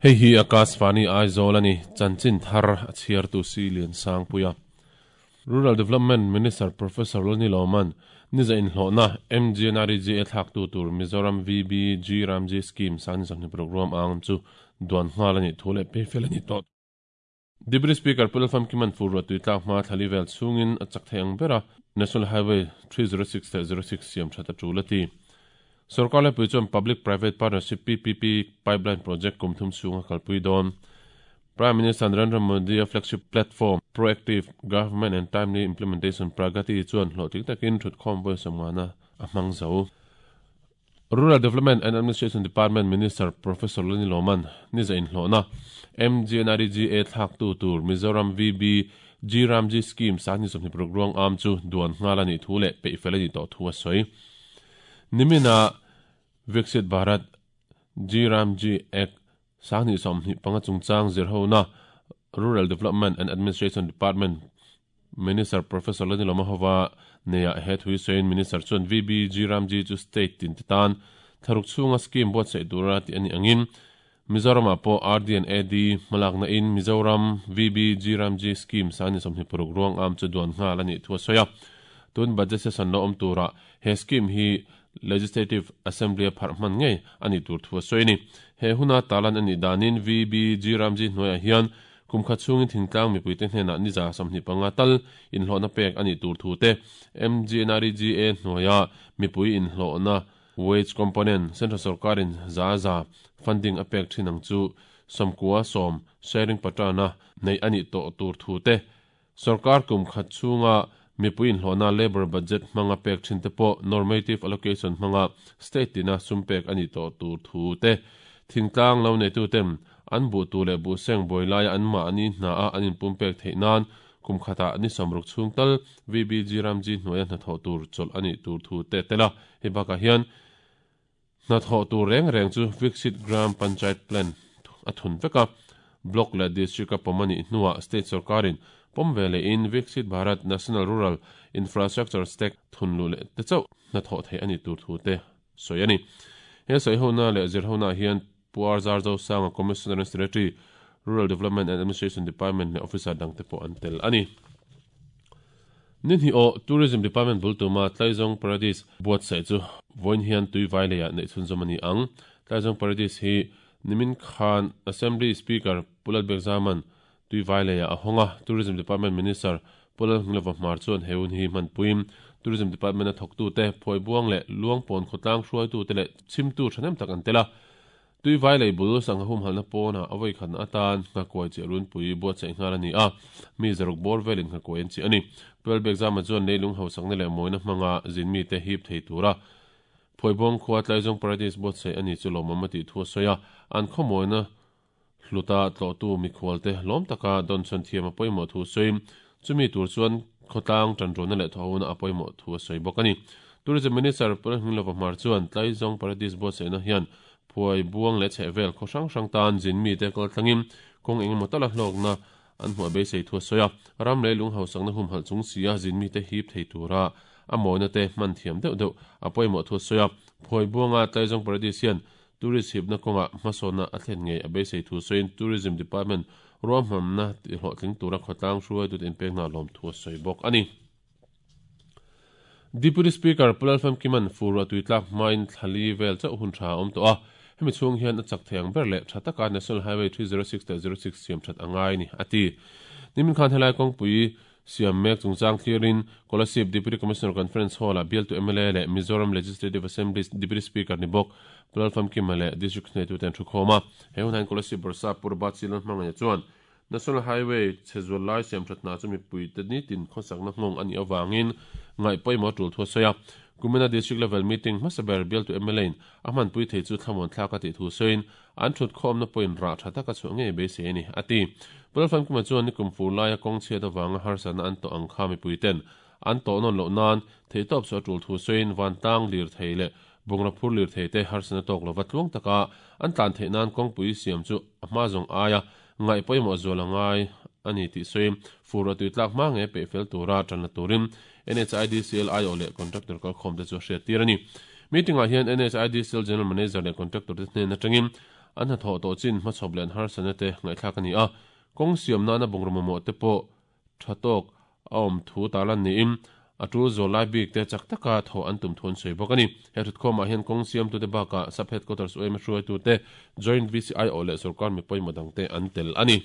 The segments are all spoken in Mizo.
Hei hi Akashvani Aizawl a ni, chanchin thar a chhiartu Si Liansangpuia. Rural Development Minister Professor Loni Lawman niza inhlawhna MGNREGA thlaktu tur Mizoram VBG Ramji Scheme sangni 26 ruam ang chu duan nghal a nih thu leh pei fel a ni tawh. Deputy Speaker Pu Lalfamkiman fur ruah tui tlak hma thlali vel chhungin a chak thei ang ber a, National Highway 306 leh 06 siam that a tul a ti. Sorkar laipui chuan Public Private Partnership, PPP, pipeline project kum thum chhunga kalpui dawn. Prime Minister Narendra Modi-a flagship platform, Proactive Government and Timely Implementation, Pragati, chuan hlawhtling takin thutkhawm vawi sawmngana a hmang zo. Rural Development and Administration Department Minister Professor Lani Lawman niza inhlawhna MGNREGA thlaktu tur Mizoram VB G Ramji Scheme sangni 26 ruang am chu duan nghal a nih thu leh peihfel a nih tawh thu a sawi. Nimina Viksit Bharat G Ramji Act 2025 chungchang zirhona Rural Development and Administration Department Minister Professor Lani Lawmahova neia he thui sawiin Minister chuan VBG Ramji chu state tin te tan thlaruk chhunga scheme buatsaih tura tih a nih angin Mizoramah pawh RD and AD hmalakna in Mizoram VBG Ramji scheme 26 ruang am chu duan nghal a nih thu a sawi a. Tun budget session lo awm turah he scheme hi Legislative Assembly a pharh hman ngei a nih tur thu a sawi a ni. He huna talan a nih danin VBG Ramji hnuaiah hian Kum khat chhungin thingtlang mipuite hnenah niza 25 tal inhlawhna pek a nih tur thu te, MGNREGA hnuaia mipui inhlawhna wage component Central sorkarin za za funding a pek thin ang chu 90 sharing pattern-a neih a nih tawh tur thu te, sorkar kum khat chhunga mipui inhlawhna labour budget hmanga pek thin te pawh normative allocation hmanga state tina sum pek a nih tawh tur thu te, thingtlang lo neituten An buh tu leh buh seng buai laia an mahni hna a an inpum pek theih nan kum khatah ni 60 chhung tal VBG Ramji hnuaia hnathawh tur chawlh a nih tur thu te tel a. Hei bakah hian hnathawh tur reng reng chu Viksit Gram Panchayat Plan a thun vek a, Block leh District a pawm a nih hnuah State sorkarin pawm ve lehin Viksit Bharat National Rural Infrastructure Stack thun luh leh te chauh hnathawh theih a nih tur thu te sawi a ni. He sawihona leh zirhona hian Pu Arzar Zosanga, Commissioner and Secretary, Rural Development and Administration Department leh officer dangte pawh an tel a ni. Ni hnih aw, Tourism Department bul tuma Tlaizawng Paradise buatsaih chu vawiin hian Tuivai leiah neih chhunzawm a ni ang. Tlaizawng Paradise hi nimin khan Assembly Speaker Pu Lalbekzaman Tuivai leiah a hawng a, Tourism Department Minister Pu Lalhnglova Hmar chuan he hun hi hmanpuiin Tourism Department-a thawktute, Phuaibuang leh Luangpawn khawtlang hruaitute leh chhimtu thahnem tak an tel a. Tuivai lei bul sangha humhalhna pawnah a vawikhatna atan nghakuai chiah runpui buatsaih nghal a ni a, mi zaruk bawr velin nghakuai an chiah a ni. Pu Lalbekzama chuan leilung hausakna leh mawina hmanga zinmite hip thei tura Phuaibuang khua Tlaizawng Paradise buatsaih a ni chu lawmawm a tih thu a sawi a, an khawmawina Hluta tlawhtu mikhualte lawm taka dawnchhawn thiam a pawimawh thu sawi. Chumi tur chuan khawtlang tanrualna leh thawhona a pawimawh thu a sawi bawk a ni. Tourism Minister Pu Lalhminglova Hmar chuan Tlaizawng Paradise buatsaihna hian phuai buang leh chhehvel khaw hrang hrang tan zin mite kal thlangin kawng engemaw tala hlawkna an hmuh a beisei thu a sawi a. Ram leh lung hausakna humhalh chung sia zin mite hip thei tura a mawina te hman thiam deuh deuh a pawimawh thu a sawi a. Phuai buanga Tlaizawng Paradise hian Tourist hipna kawngah hmasawnna a thlen ngei a beisei thu sawiin Tourism Department ruahmanna tihlawhtling tura khawtlang hruaitute inpekna a lawm thu a sawi bawk a ni. Deputy Speaker Pu Lalfamkiman fur ruah tui tlak hmain thla li vel chauh hun tha a awm tawh a, hemi chhung hian a chak thei ang ber leh tha taka National Highway 306 leh 06 siam that a ngai ni, a ti. Nimin khan helai kawngpui Siam mek chungchang thlirin Kolasib Deputy Commissioner Conference Hall-ah bialtu mla leh Mizoram Legislative Assembly Deputy Speaker ni bawk Pu Lalfamkima leh District hnaitute an thukhawm a. He hunah hian Kolasib Bawrhsap Pu Robert C. Lalhmangaih chuan National Highway chhe zual lai siam that hna chu mipuite nitin khawsakna nghawng a nih avangin ngaih pawimawh a tul thu a sawi a. Kumina District Level Meeting hmasa ber bialtu mla in a hmanpui thei chu thlamuan thlak a tih thu sawiin An thutkhawmna pawhin rah tha taka chhuah ngei beisei a ni, a ti. Pu Lalfamkima chuan nikum fur laia kawng chhiat avanga harsatna an tawh ang kha mipuiten an tawh nawn loh nan theihtawp chu a tul thu sawiin vantlang lirthei leh bungraw phur lirthei te harsatna tawk lova tluang taka an tlan theih nan kawngpui siam chu a hma zawng aia ngaih pawimawh zual a ngai a ni tih sawiin fur a tui tlak hma ngei peih fel tura tan la turin NHIDCL aiawh leh contractor kalkhawmte chu a hriattir a ni. Meeting-ah hian NHIDCL General Manager leh contractor te hnen atangin an hnathawh tawh chin hmachhawp leh an harsatna te ngaihthlak a ni a, kawng siam nana bungraw mamawh te pawh tha tawk a awm thu tarlan niin a tul zawl lai bik te chak taka thawh an tum thu an sawi bawk a ni. He thutkhawmah hian kawng siamtute bakah Sub Headquarters UMA hruaitute, Joint VCI awh leh sawrkar mi pawimawh dangte an tel a ni.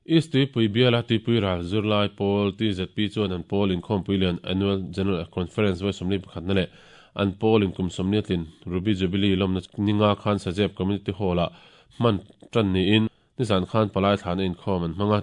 East Tuipui biala Tuipui ral zirlai pawl TZP chuan an pawl inkhawmpui lian Annual General Conference vawi 41 na leh an pawl in kum 40 tlin Ruby Jubilee lawmna ninga khan Sazep Community Hall-ah hman tan niin nizan khan palai thlahna inkhawm an hmang a.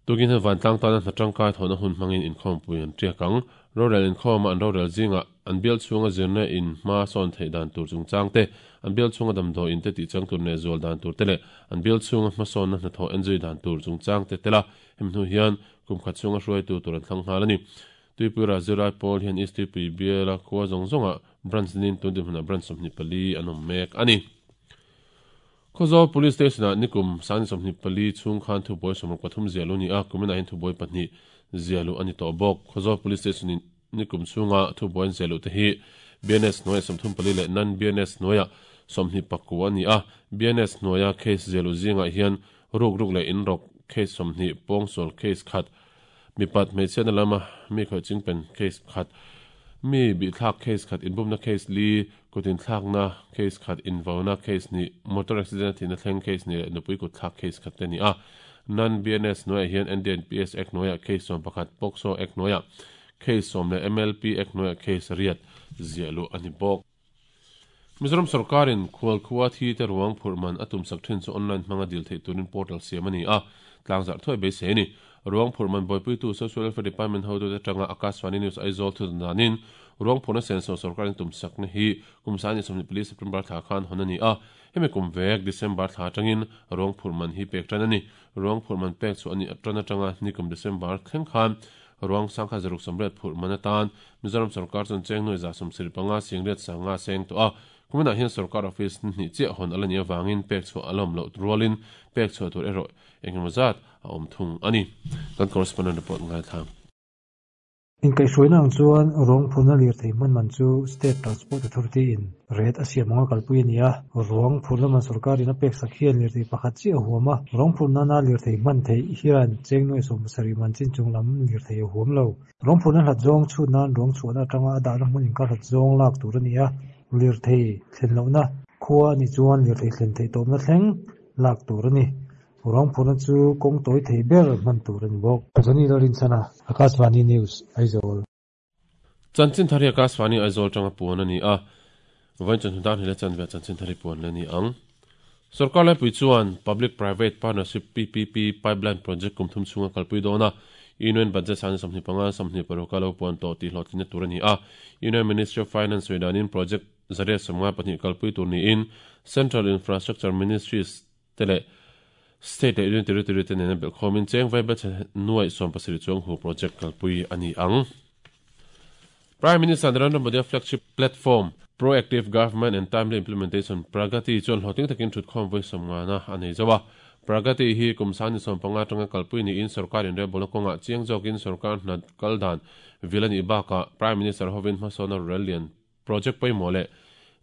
Tukin hian vantlang tana hna tangkai thawhna hun hmangin inkhawmpui an tiak ang. Rorel inkhawma an rorel zingah an bial chhunga zirna in hma sawn theih dan tur chungchang te, an bial chhunga damdawi in te tihchang tur leh zual dan tur te leh an bial chhunga hmasawnna hnathawh enzui dan tur chungchang te tel a, hemi hnu hian kum khat chhunga hruaitu tur an thlang nghal a ni. Tuipui Razirlai pawl hian East Tuipui biala khua zawng zawngah branch nin tun dinhmunah branch 24 an awm mek a ni. Khawzawl Police Station-ah nikum sangni 24 chhung khan thubuai 63 ziahluh a ni a, kuminah hian thubuai pahnih ziahluh a ni tawh bawk. Khawzawl Police Station-in nikum chhunga thubuai an ziahluh te hi BNS hnuaiah 34 leh non-BNS hnuaiah 29 a ni a, BNS hnuaia case ziahluh zingah hian ruk ruk leh inrawk case 20, pawngsual case khat, Mipat hmeichhiatna lama mi khawih chingpen case khat, mi bihthlak case khat, inbumna case li, kut inthlakna case khat, invauna case hnih, motor accident a thihna thleng case hnih leh nupui kut thlak case khat te a ni a. Non-BNS hnuaiah hian NDNPS Act hnuaiah case 11, POCSO Act hnuaiah case 10 leh MLP Act hnuaiah case riat ziah luh a ni bawk. Mizoram sorkarin khualkhua thi te ruang phurh man a tumsak thin chu online hmanga dil theih turin portal siam a ni a, tlangzarh thuai beisei a ni. Ruang phurh man buaipuitu Social Welfare Department hotute atanga Akashvani News Aizawl thut danin ruang phurhna senso sorkarin tumsakna hi kum 24 September thla khan hawn a ni a, hemi kum vek December thla atangin ruang phurh man hi pek tan a ni. Ruang phurh man pek chhuah a nih tan atanga nikum December thleng khan ruang sangkhat zaruk sawmriat phurh man atan Mizoram sorkar chuan cheng nuai 175 singriat sanga seng tawh a, kuminah hian sorkar office ni hnih chiah hawn a la nih avangin pek chhuah a lawm loh rualin pek chhuah tur erawh engemaw zat a awm thung a ni. Kan correspondent report ngaithla. Inkaihhruaina ang chuan ruang phurna lirthei hman man chu State Transport Authority in rate a siam anga kalpui a ni a. Ruang phurna man sorkarin a peksak hian lirthei pakhat chiah a huam a, ruang phurna nana lirthei hman theih hian cheng nuai 70 man chin chung lam lirthei a huam lo. Ruang phurna hlat zawng chhut nan ruang chhuahna atanga a dahna hmun inkar hlat zawng lak tur a ni a, lirthei thlen lohna khua a nih chuan lirthei thlen theih tawpna thleng lak tur a ni. Ruang phurna chu kawng tawi thei ber hman tur a ni bawk. Johnny Lalrinchhana, Akashvani News, Aizawl. Chanchin thar hi Akashvani Aizawl tanga puan a ni a, vawiin chawhnu dan hile chanve ah chanchin thar hi puan la ni ang. Sorkar laipui chuan Public Private Partnership, PPP, Pipeline Project kum thum chhunga kalpui dawn a, Union Budget sangni 25 26 a lo puan tawh tih hlawhtlinna tur a ni a. Union Ministry of Finance sawi danin project 152 kalpui tur niin Central Infrastructure Ministries te leh State leh Union Territory te nena belhkhawmin cheng vaibelchhe nuaih 17 chuang hu project kalpui a ni ang. Prime Minister Narendra Modi-a flagship platform, Proactive Government and Timely Implementation, Pragati, chuan hlawhtling takin thutkhawm vawi sawmngana a nei zo a. Pragati hi kum sangni 15 atanga kalpui niin sorkar inrelbawlna kawngah chiang zawkin sorkar hna kal dan vil a nih bakah Prime Minister hovin hmasawnna rorel lian project pawimawh leh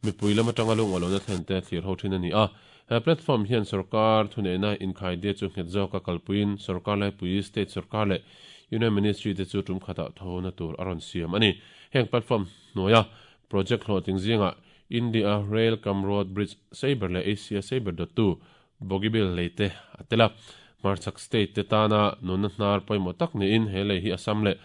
mipui lam atanga lungawlawna thlen te thlir ho thin a ni a. He platform hian sorkar thuneihna inkhaidie chu nghet zawka kalpuiin sorkar laipui, state sorkar leh Union Ministry te chu tum khatah thona tur a rawn siam a ni. Heng platform hnuaia project hlawhtling zingah India Rail cum Road Bridge Sabre leh Asia Sabre dawttu Bogibil lei te a tel a. Hmarchhak state te tana nunna hnar pawimawh tak niin he lei hi Assam leh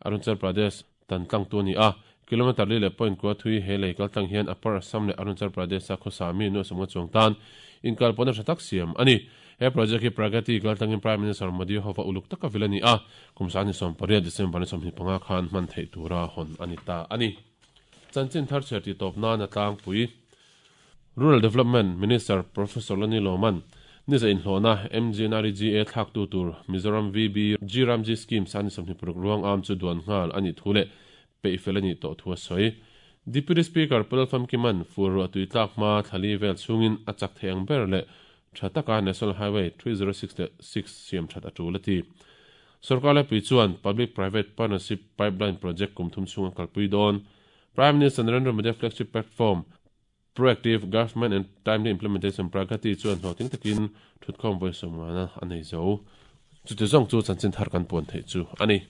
Arunachal Pradesh tan tlangtu a ni a. Kilometre li leh point kua thui he lei kal tlang hian Upper Assam leh Arunachal Pradesh-a khawsa mi nuaih sawmnga chuang tan inkalpawhna tha tak siam a ni. He project hi Pragati kal tlangin Prime Minister Modi hova uluk taka vil a ni a, kum 28 December ni 25 khan hman theih tura hawn a ni ta a ni. Chanchin thar chhiar tih tawp nan a tlangpui. Rural Development Minister Professor Lani Lawman niza inhlawhna MGNREGA thlaktu tur Mizoram VB G Ramji Scheme sani 26 ruang am chu duan nghal a nih thu leh peihfel a nih tawh thu a sawi. Deputy Speaker Pu Lalfamkiman fur ruah tui tlak hma thlali vel chhungin a chak thei ang ber leh tha taka National Highway 306 leh 6 siam that a tul a ti. Sorkar laipui chuan Public Private Partnership Pipeline Project kum thum chhunga kalpui dawn. Prime Minister Narendra Modi-a flagship platform. Proactive Government and Timely Implementation Pragati chuan hlawhtling takin thutkhawm vawi sawmngana a nei zo. Chuti zawng chu chanchin thar kan puan theih chu a ni.